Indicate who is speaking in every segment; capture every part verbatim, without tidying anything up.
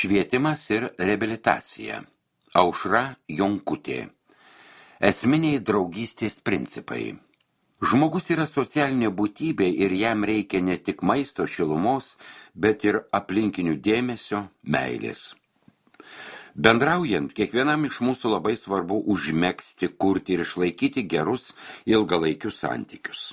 Speaker 1: Švietimas ir reabilitacija. Aušra Jonkutė. Esminiai draugystės principai. Žmogus yra socialinė būtybė ir jam reikia ne tik maisto, šilumos, bet ir aplinkinių dėmesio, meilės. Bendraujant, kiekvienam iš mūsų labai svarbu užmegzti, kurti ir išlaikyti gerus ilgalaikius santykius.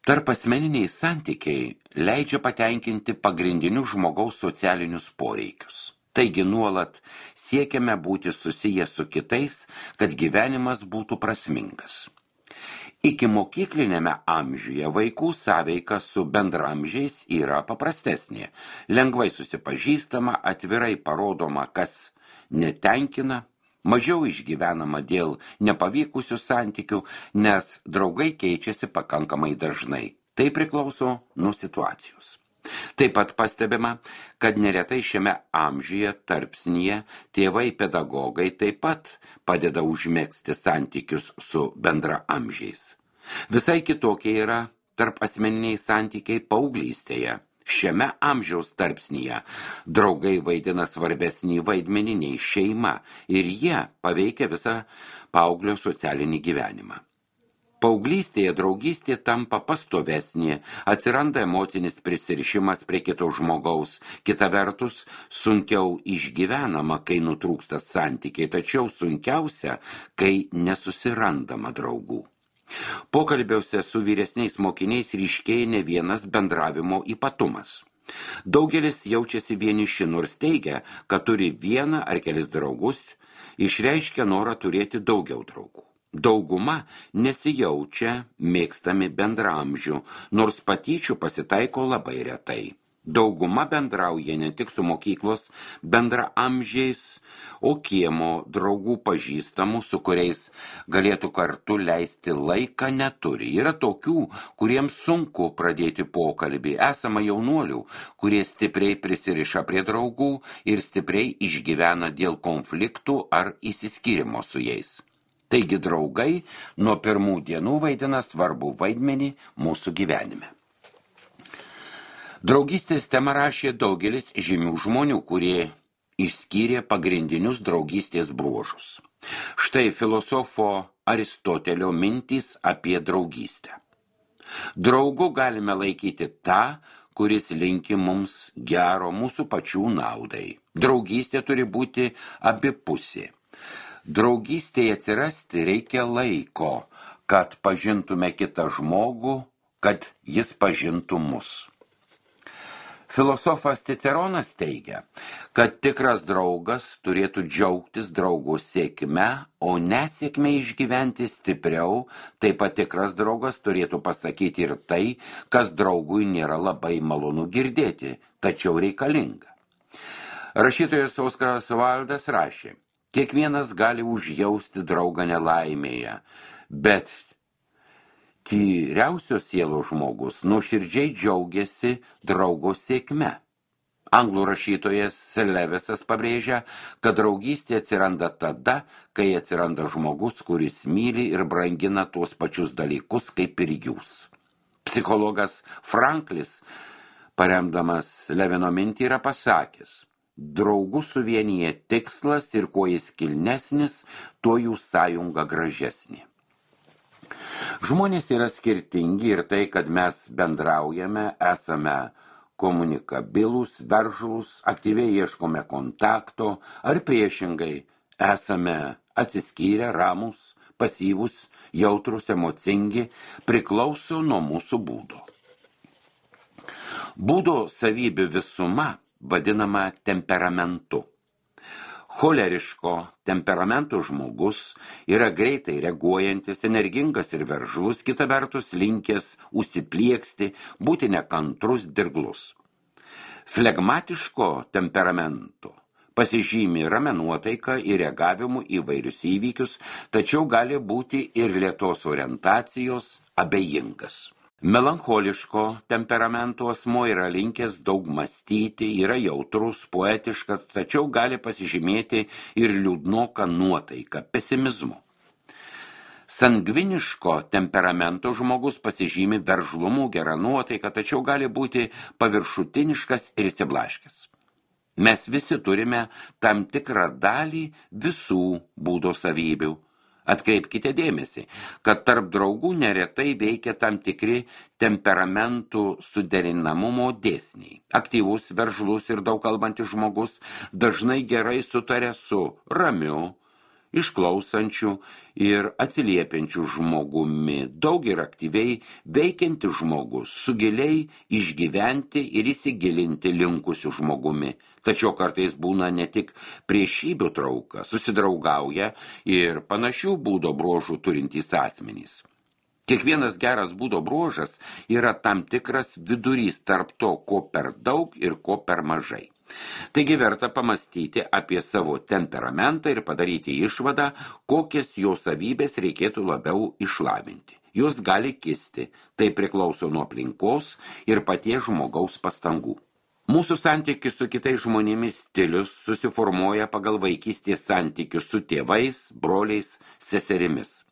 Speaker 1: Tarp asmeniniai santykiai leidžia patenkinti pagrindinius žmogaus socialinius poreikius. Taigi nuolat siekiame būti susiję su kitais, kad gyvenimas būtų prasmingas. Iki mokyklinėme amžiuje vaikų sąveika su bendramžiais yra paprastesnė. Lengvai susipažįstama, atvirai parodoma, kas netenkina, mažiau išgyvenama dėl nepavykusių santykių, nes draugai keičiasi pakankamai dažnai. Tai priklauso nuo situacijos. Taip pat pastebima, kad neretai šiame amžiuje tarpsnyje tėvai pedagogai taip pat padeda užmegzti santykius su bendraamžiais. Visai kitokie yra tarp asmeniniai santykiai paauglystėje. Šiame amžiaus tarpsnyje draugai vaidina svarbesnį vaidmenį nei šeima ir jie paveikia visą paauglio socialinį gyvenimą. Paauglystėje draugystė tampa pastovesnė, atsiranda emocinis prisirišimas prie kito žmogaus, kita vertus sunkiau išgyvenama, kai nutrūksta santykiai, tačiau sunkiausia, kai nesusirandama draugų. Pokalbiuose su vyresniais mokiniais ryškėja ne vienas bendravimo ypatumas. Daugelis jaučiasi vieniši, nors teigia, kad turi vieną ar kelis draugus, išreiškia norą turėti daugiau draugų. Dauguma nesijaučia mėgstami bendraamžių, nors patyčių pasitaiko labai retai. Dauguma bendrauja ne tik su mokyklos bendraamžiais, o kiemo draugų pažįstamų, su kuriais galėtų kartu leisti laiką, neturi. Yra tokių, kuriems sunku pradėti pokalbį. Esama jaunuolių, kurie stipriai prisiriša prie draugų ir stipriai išgyvena dėl konfliktų ar įsiskyrimo su jais. Taigi draugai nuo pirmų dienų vaidina svarbų vaidmenį mūsų gyvenime. Draugystės temą rašė daugelis žymių žmonių, kurie išskyrė pagrindinius draugystės bruožus. Štai filosofo Aristotelio mintys apie draugystę. Draugu galime laikyti tą, kuris linki mums gero mūsų pačių naudai. Draugystė turi būti abipusė. Draugystėje atsirasti reikia laiko, kad pažintume kitą žmogų, kad jis pažintų mus. Filosofas Ciceronas teigia, kad tikras draugas turėtų džiaugtis draugo sėkme, o nesėkme išgyventi stipriau, taip pat tikras draugas turėtų pasakyti ir tai, kas draugui nėra labai malonu girdėti, tačiau reikalinga. Rašytojas Oskaras Vaildas rašė, kiekvienas gali užjausti draugą nelaimėje, bet tyriausios sielos žmogus nuoširdžiai džiaugiasi draugo sėkme. Anglų rašytojas Levesas pabrėžia, kad draugystė atsiranda tada, kai atsiranda žmogus, kuris myli ir brangina tuos pačius dalykus kaip ir jūs. Psichologas Franklis, paremdamas Levino mintį, yra pasakęs, draugų suvienyje tikslas ir kuo jis kilnesnis, tuo jų sąjunga gražesnė. Žmonės yra skirtingi ir tai, kad mes bendraujame, esame komunikabilūs, veržlūs, aktyviai ieškome kontakto, ar priešingai esame atsiskyrę, ramūs, pasyvūs, jautrūs, emocingi, priklauso nuo mūsų būdo. Būdo savybių visuma vadinama temperamentu. Choleriško temperamento žmogus yra greitai reaguojantis, energingas ir veržlus, kita vertus linkęs užsiplieksti, būti nekantrus, dirglus. Flegmatiško temperamento pasižymi ramia nuotaika ir reagavimu į vairius įvykius, tačiau gali būti ir lėtos orientacijos, abejingas. Melancholiško temperamento asmuo yra linkęs daug mąstyti, yra jautrus, poetiškas, tačiau gali pasižymėti ir liūdnoką nuotaiką, pesimizmu. Sangviniško temperamento žmogus pasižymi veržlumu, gera nuotaika, tačiau gali būti paviršutiniškas ir išsiblaškęs. Mes visi turime tam tikrą dalį visų būdo savybių. Atkreipkite dėmesį, kad tarp draugų neretai veikia tam tikri temperamentų suderinamumo dėsniai. Aktyvus, veržlus ir daug kalbantis žmogus dažnai gerai sutaria su ramiu, išklausančių ir atsiliepiančių žmogumi, daug ir aktyviai veikianti žmogus, su giliai išgyventi ir įsigilinti linkusių žmogumi. Tačiau kartais būna ne tik priešybių trauka, susidraugauja ir panašių būdo bruožų turintys asmenys. Kiekvienas geras būdo bruožas yra tam tikras vidurys tarp to, ko per daug ir ko per mažai. Taigi verta pamastyti apie savo temperamentą ir padaryti išvadą, kokias jo savybės reikėtų labiau išlavinti. Jos gali kisti, tai priklauso nuo aplinkos ir paties žmogaus pastangų. Mūsų santykius su kitais žmonėmis stilius susiformuoja pagal vaikystės santykius su tėvais, broliais, seserimis.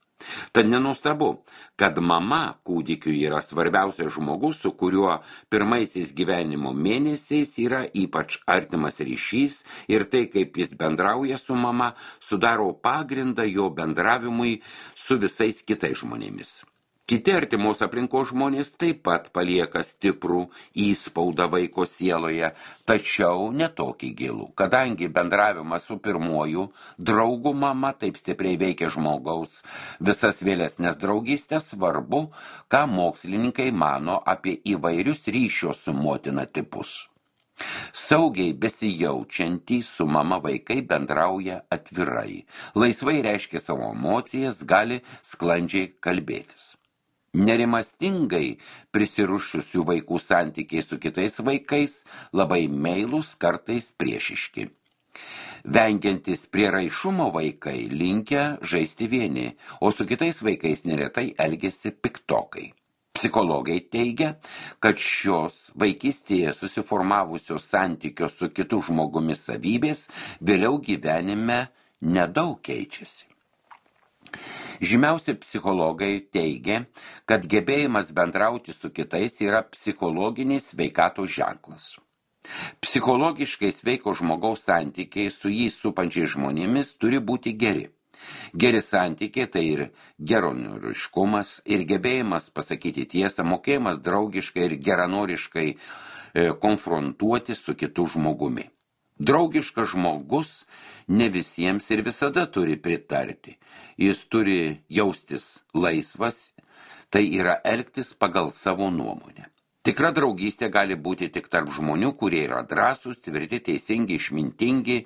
Speaker 1: Tad nenuostabu, kad mama kūdikiui yra svarbiausias žmogus, su kuriuo pirmaisiais gyvenimo mėnesiais yra ypač artimas ryšys ir tai, kaip jis bendrauja su mama, sudaro pagrindą jo bendravimui su visais kitais žmonėmis. Kiti artimos aplinkos žmonės taip pat palieka stiprų įspaudą vaiko sieloje, tačiau netokį gilų, kadangi bendravimas su pirmuoju draugu mama taip stipriai veikia žmogaus visas vėlesnės draugystės, svarbu, ką mokslininkai mano apie įvairius ryšio su motina tipus. Saugiai besijaučiantys su mama vaikai bendrauja atvirai, laisvai reiškia savo emocijas, gali sklandžiai kalbėtis. Nerimastingai prisirušusių vaikų santykiai su kitais vaikais labai meilūs, kartais priešiški. Vengiantis prieraišumo vaikai linkę žaisti vieni, o su kitais vaikais neretai elgiasi piktokai. Psichologai teigia, kad šios vaikystėje susiformavusios santykio su kitu žmogumi savybės vėliau gyvenime nedaug keičiasi. Žymiausi psichologai teigia, kad gebėjimas bendrauti su kitais yra psichologinis sveikatos ženklas. Psichologiškai sveiko žmogaus santykiai su jį supančiais žmonėmis turi būti geri. Geri santykiai tai ir geranoriškumas, ir gebėjimas pasakyti tiesą, mokėjimas draugiškai ir geranoriškai e, konfrontuoti su kitu žmogumi. Draugiškas žmogus ne visiems ir visada turi pritarti. Jis turi jaustis laisvas, tai yra elgtis pagal savo nuomonę. Tikra draugystė gali būti tik tarp žmonių, kurie yra drąsūs, tvirti, teisingi, išmintingi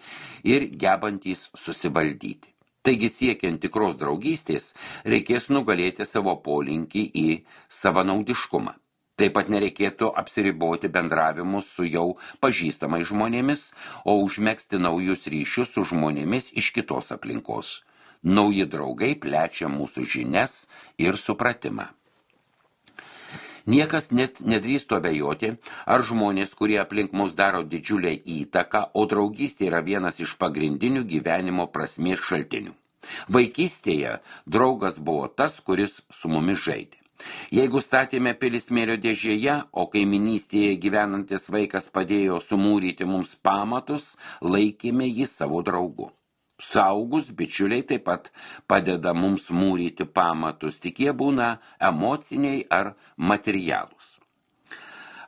Speaker 1: ir gebantys susivaldyti. Taigi siekiant tikros draugystės, reikės nugalėti savo polinkį į savanaudiškumą. Taip pat nereikėtų apsiriboti bendravimu su jau pažįstamais žmonėmis, o užmegzti naujus ryšius su žmonėmis iš kitos aplinkos. Nauji draugai plečia mūsų žinias ir supratimą. Niekas net nedrįstų abejoti, ar žmonės, kurie aplink mus daro didžiulę įtaką, o draugystė yra vienas iš pagrindinių gyvenimo prasmės šaltinių. Vaikystėje draugas buvo tas, kuris su mumis žaidė. Jeigu statėme pilis smėlio dėžėje, o kaiminystėje gyvenantis vaikas padėjo sumūryti mums pamatus, laikėme jį savo draugu. Saugus bičiuliai taip pat padeda mums mūryti pamatus, tik jie būna emociniai ar materialūs.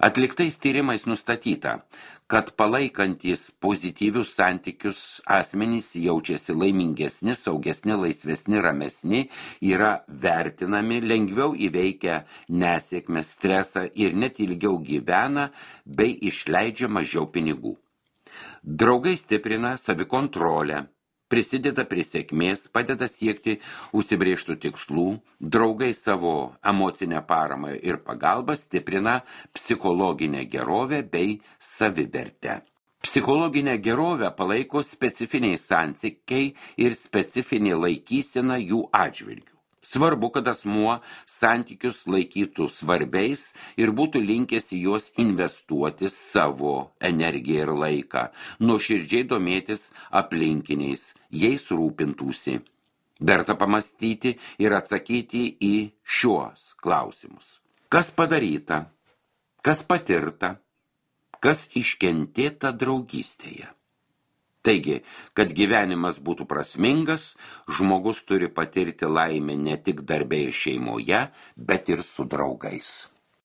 Speaker 1: Atliktais tyrimais nustatyta, kad palaikantis pozityvius santykius asmenys jaučiasi laimingesni, saugesni, laisvesni, ramesni, yra vertinami, lengviau įveikia nesėkmę, stresą ir net ilgiau gyvena bei išleidžia mažiau pinigų. Draugai stiprina savikontrolę, prisideda prie sėkmės, padeda siekti užsibrėžtų tikslų, draugai savo emocinę paramą ir pagalbą stiprina psichologinę gerovę bei savivertę. Psichologinę gerovę palaiko specifiniai santykiai ir specifinė laikysena jų atžvilgių. Svarbu, kad asmuo santykius laikytų svarbiais ir būtų linkęs į juos investuoti savo energiją ir laiką, nuoširdžiai domėtis aplinkiniais, jais rūpintųsi. Verta pamastyti ir atsakyti į šiuos klausimus. Kas padaryta, kas patirta, kas iškentėta draugystėje. Taigi, kad gyvenimas būtų prasmingas, žmogus turi patirti laimę ne tik darbe ir šeimoje, bet ir su draugais.